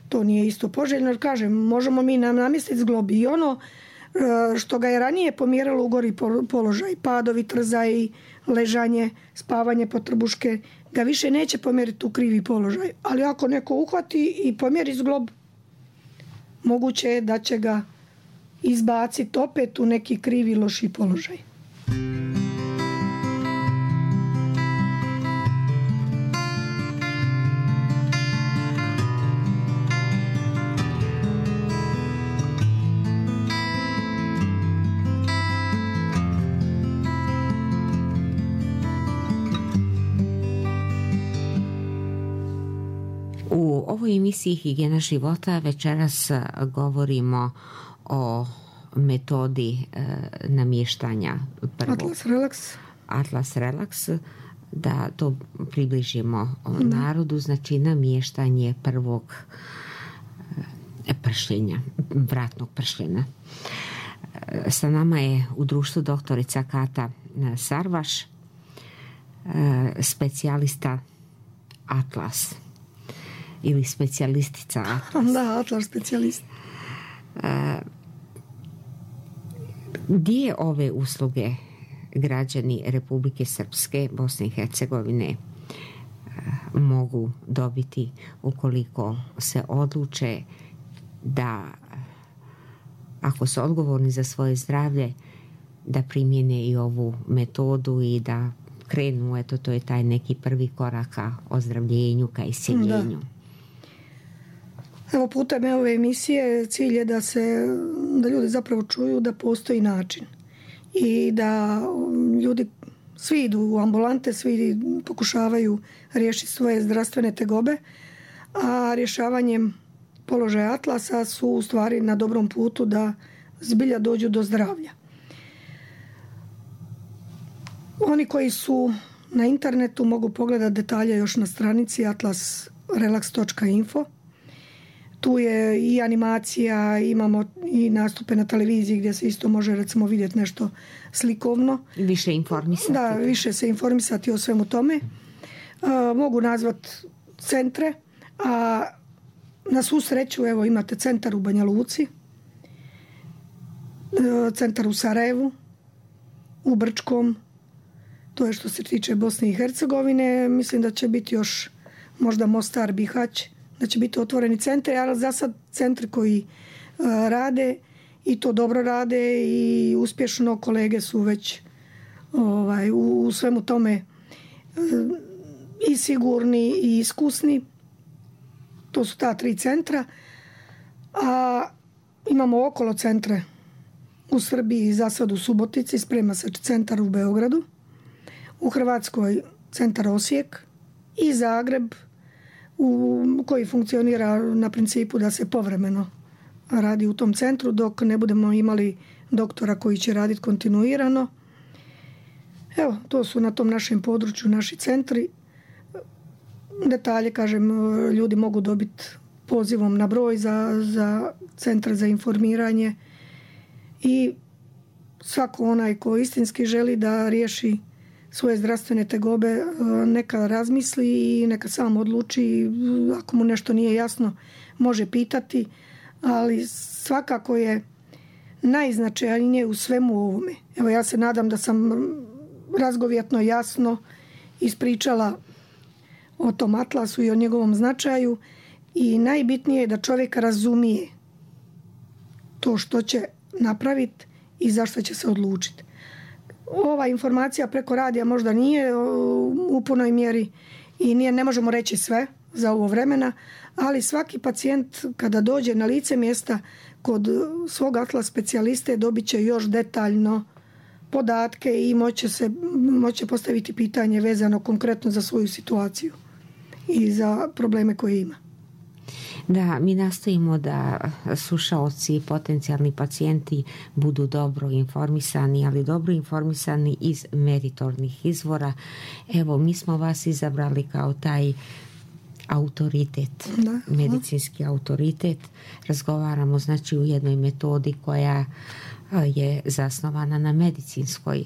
To nije isto poželjno, jer kažem, možemo mi nam namjestiti zglob i ono što ga je ranije pomjeralo u gori položaj, padovi, trzaj, ležanje, spavanje pod trbuške, ga više neće pomjeriti u krivi položaj. Ali ako neko uhvati i pomjeri zglob, moguće je da će ga izbaciti opet u neki krivi, loši položaj. U ovoj emisiji Higijena života večeras govorimo o metodi e, namještanja prvog. Atlas Relax. Atlas Relax, da to približimo da. narodu, znači namještanje prvog e, pršljenja, vratnog pršljenja. E, sa nama je u društvu doktorica Kata Sarvaš, e, specijalista Atlas. Ili specijalistica Atlas. Da, Atlas specijalist. E, gdje ove usluge građani Republike Srpske, Bosne i Hercegovine e, mogu dobiti ukoliko se odluče da ako su odgovorni za svoje zdravlje, da primjene i ovu metodu i da krenu, eto, to je taj neki prvi korak ka ozdravljenju, ka isceljenju. Da. Evo, putem ove emisije cilj je da se, da ljudi zapravo čuju da postoji način i da ljudi svi idu u ambulante, svi pokušavaju riješiti svoje zdravstvene tegobe, a rješavanjem položaja Atlasa su u stvari na dobrom putu da zbilja dođu do zdravlja. Oni koji su na internetu mogu pogledati detalje još na stranici atlas relax točka info. Tu je i animacija, imamo i nastupe na televiziji gdje se isto može, recimo, vidjeti nešto slikovno. Više informisati. Da, više se informisati o svemu tome. Uh, mogu nazvati centre, a na svu sreću, evo, imate centar u Banja Luci, uh, centar u Sarajevu, u Brčkom, to je što se tiče Bosne i Hercegovine. Mislim da će biti još možda Mostar, Bihać, da će biti otvoreni centri, ali za sad centri koji uh, rade i to dobro rade i uspješno, kolege su već ovaj, u, u svemu tome uh, i sigurni i iskusni. To su ta tri centra. A imamo okolo centre u Srbiji, za sad u Subotici, sprema se centar u Beogradu, u Hrvatskoj centar Osijek i Zagreb, u, koji funkcionira na principu da se povremeno radi u tom centru dok ne budemo imali doktora koji će raditi kontinuirano. Evo, to su na tom našem području naši centri. Detalje, kažem, ljudi mogu dobiti pozivom na broj za, za centar za informiranje i svako onaj ko istinski želi da riješi svoje zdravstvene tegobe neka razmisli i neka sam odluči. Ako mu nešto nije jasno, može pitati, ali svakako je najznačajnije u svemu ovome. Evo, ja se nadam da sam razgovjetno jasno ispričala o tom atlasu i o njegovom značaju i najbitnije je da čovjek razumije to što će napraviti i zašto će se odlučiti. Ova informacija preko radija možda nije u punoj mjeri i nije, ne možemo reći sve za ovo vremena, ali svaki pacijent kada dođe na lice mjesta kod svog atlas specijaliste dobit će još detaljno podatke i moće se moće postaviti pitanje vezano konkretno za svoju situaciju i za probleme koje ima. Da, mi nastojimo da slušaoci i potencijalni pacijenti budu dobro informisani, ali dobro informisani iz meritornih izvora. Evo, mi smo vas izabrali kao taj autoritet, da, medicinski da. autoritet. Razgovaramo, znači, u jednoj metodi koja je zasnovana na medicinskoj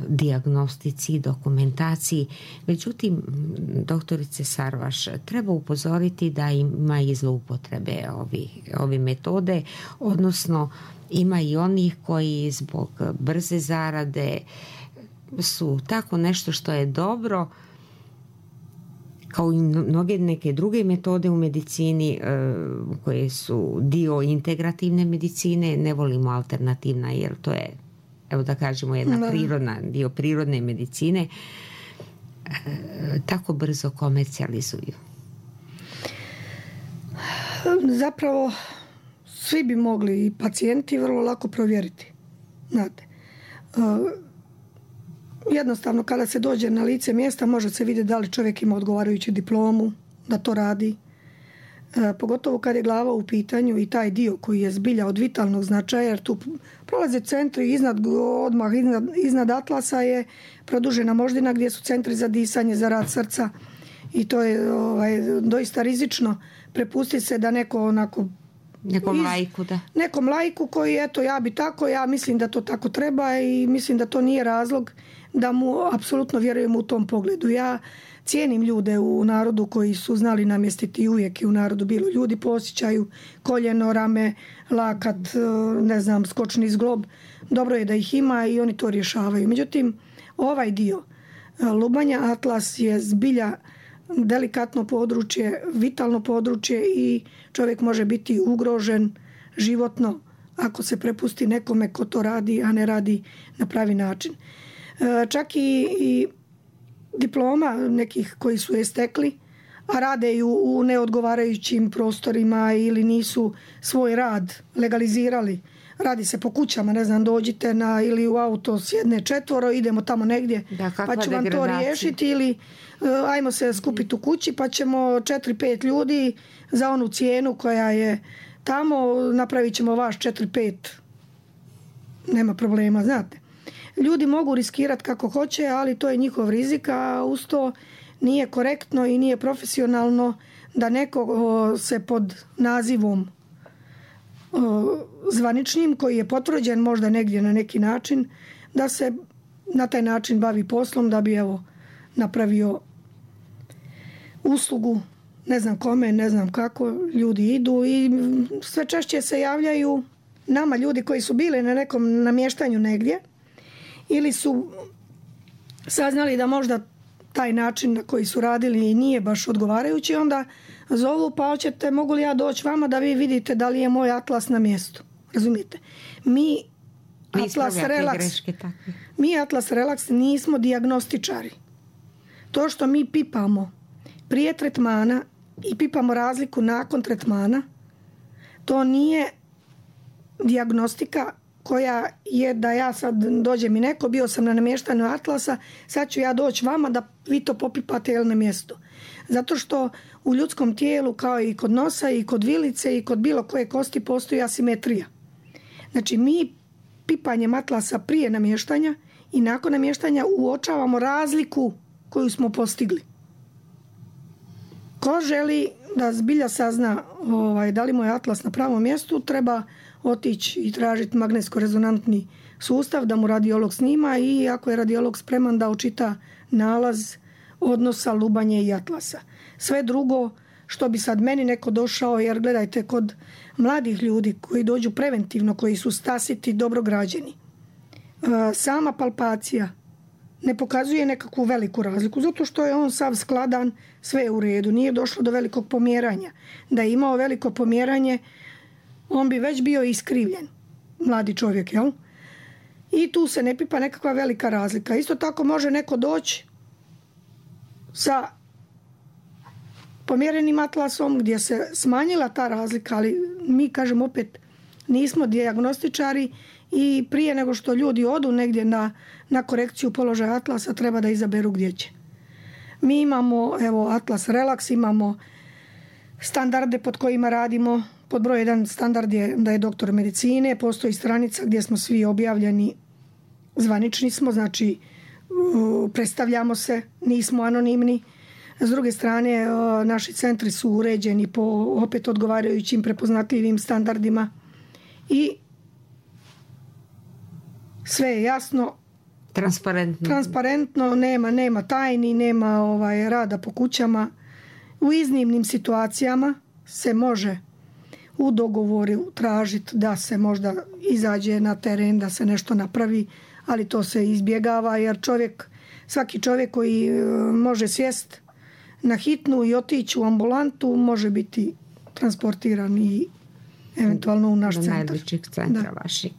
dijagnostici i dokumentaciji. Međutim, doktorice Sarvaš, treba upozoriti da ima i zloupotrebe ovi, ovi metode, odnosno ima i onih koji zbog brze zarade su tako nešto što je dobro, kao i mnoge neke druge metode u medicini koje su dio integrativne medicine. Ne volimo alternativna jer to je, evo da kažemo, jedna prirodna, dio prirodne medicine, tako brzo komercijalizuju. Zapravo svi bi mogli i pacijenti vrlo lako provjeriti. Znate, jednostavno kada se dođe na lice mjesta može se vidjeti da li čovjek ima odgovarajuću diplomu, da to radi. Pogotovo kad je glava u pitanju i taj dio koji je zbilja od vitalnog značaja, jer tu prolaze centri iznad, odmah iznad, iznad atlasa je produžena moždina gdje su centri za disanje, za rad srca i to je ovaj, doista rizično prepustiti se da neko onako nekom lajku, da. Nekom lajku koji, eto, ja bi tako, ja mislim da to tako treba i mislim da to nije razlog da mu apsolutno vjerujem u tom pogledu. Ja cijenim ljude u narodu koji su znali namjestiti i uvijek je u narodu bilo ljudi po osjećaju, koljeno, rame, lakat, ne znam, skočni zglob. Dobro je da ih ima i oni to rješavaju. Međutim, ovaj dio lubanja atlas je zbilja delikatno područje, vitalno područje i čovjek može biti ugrožen životno ako se prepusti nekome ko to radi, a ne radi na pravi način. Čak i, i diploma nekih koji su je stekli, a rade ju u neodgovarajućim prostorima ili nisu svoj rad legalizirali. Radi se po kućama, ne znam, dođite na, ili u auto sjedne četvoro, idemo tamo negdje, da, pa ću vam to riješiti, ili ajmo se skupiti u kući pa ćemo četiri pet ljudi za onu cijenu koja je tamo, napravit ćemo vaš četiri pet. Nema problema, znate. Ljudi mogu riskirati kako hoće, ali to je njihov rizik, a uz to nije korektno i nije profesionalno da neko se pod nazivom zvaničnim, koji je potvrđen možda negdje na neki način, da se na taj način bavi poslom, da bi evo napravio uslugu, ne znam kome, ne znam kako, ljudi idu i sve češće se javljaju nama ljudi koji su bili na nekom namještanju negdje ili su saznali da možda taj način na koji su radili nije baš odgovarajući, onda zovu, pa hoćete, mogu li ja doći vama da vi vidite da li je moj atlas na mjestu. Razumijete? Mi Atlas Relax, greške, mi Atlas Relax nismo dijagnostičari. To što mi pipamo prije tretmana i pipamo razliku nakon tretmana, to nije dijagnostika koja je da ja sad dođe mi neko, bio sam na namještanju Atlasa, sad ću ja doći vama da vi to popipate jel na mjestu. Zato što u ljudskom tijelu, kao i kod nosa i kod vilice i kod bilo koje kosti, postoji asimetrija. Znači mi pipanjem Atlasa prije namještanja i nakon namještanja uočavamo razliku koju smo postigli. Ko želi da zbilja sazna ovaj, da li mu je Atlas na pravom mjestu, treba otići i tražiti magnetsko-rezonantni sustav da mu radiolog snima i ako je radiolog spreman da učita nalaz odnosa lubanje i Atlasa. Sve drugo što bi sad meni neko došao, jer gledajte, kod mladih ljudi koji dođu preventivno, koji su stasiti, dobro građeni, sama palpacija ne pokazuje nekakvu veliku razliku, zato što je on sav skladan, sve je u redu, nije došlo do velikog pomjeranja. Da je imao veliko pomjeranje, on bi već bio iskrivljen, mladi čovjek, jel? I tu se ne pipa nekakva velika razlika. Isto tako može neko doći sa pomjerenim atlasom gdje se smanjila ta razlika, ali mi, kažem opet, nismo dijagnostičari i prije nego što ljudi odu negdje na, na korekciju položaja atlasa, treba da izaberu gdje će. Mi imamo, evo, Atlas Relax, imamo standarde pod kojima radimo. Pod broj jedan standard je da je doktor medicine, postoji stranica gdje smo svi objavljeni, zvanični smo, znači predstavljamo se, nismo anonimni. S druge strane, naši centri su uređeni po opet odgovarajućim prepoznatljivim standardima i sve je jasno, transparentno, transparentno nema, nema tajni, nema ovaj, rada po kućama. U iznimnim situacijama se može u dogovoru tražiti da se možda izađe na teren, da se nešto napravi, ali to se izbjegava jer čovjek, svaki čovjek koji može sjest na hitnu i otići u ambulantu može biti transportiran i eventualno u naš do centar. Najbližeg centra vašeg.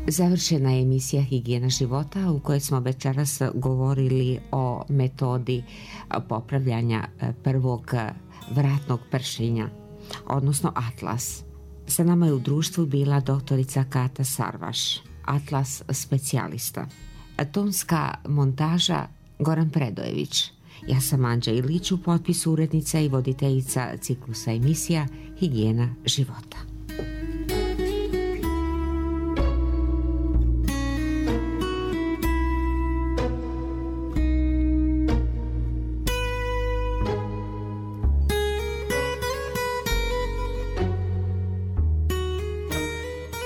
Završena je emisija Higijena života u kojoj smo večeras govorili o metodi popravljanja prvog vratnog pršenja, odnosno Atlas. Sa nama je u društvu bila doktorica Kata Sarvaš, Atlas specijalista. Tonska montaža Goran Predojević. Ja sam Anđa Ilić, u potpisu urednica i voditeljica ciklusa emisija Higijena života.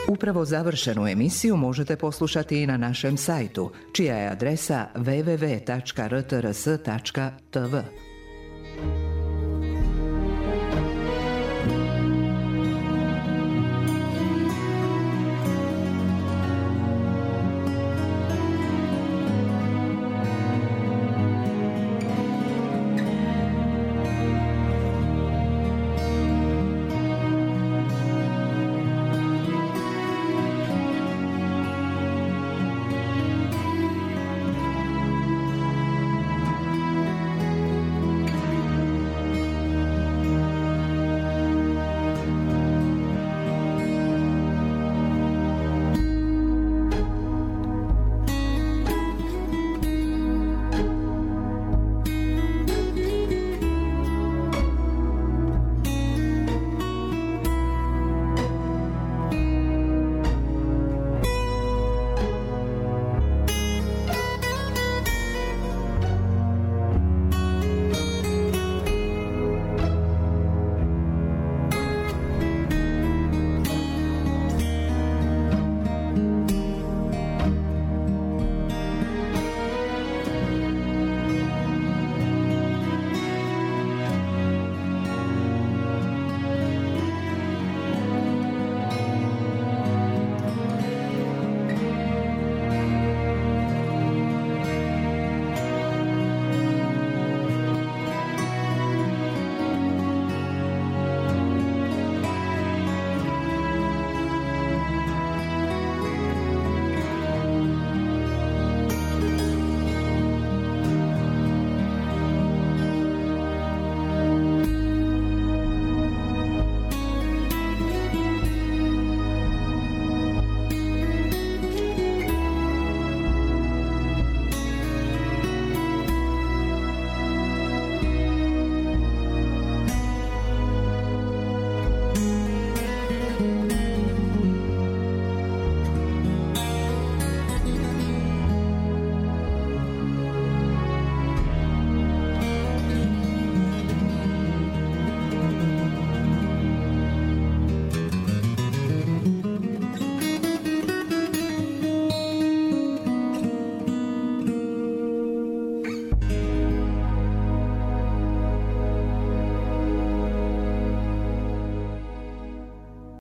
Upravo završenu emisiju možete poslušati i na našem sajtu, čija je adresa w w w tačka r t r s tačka t v.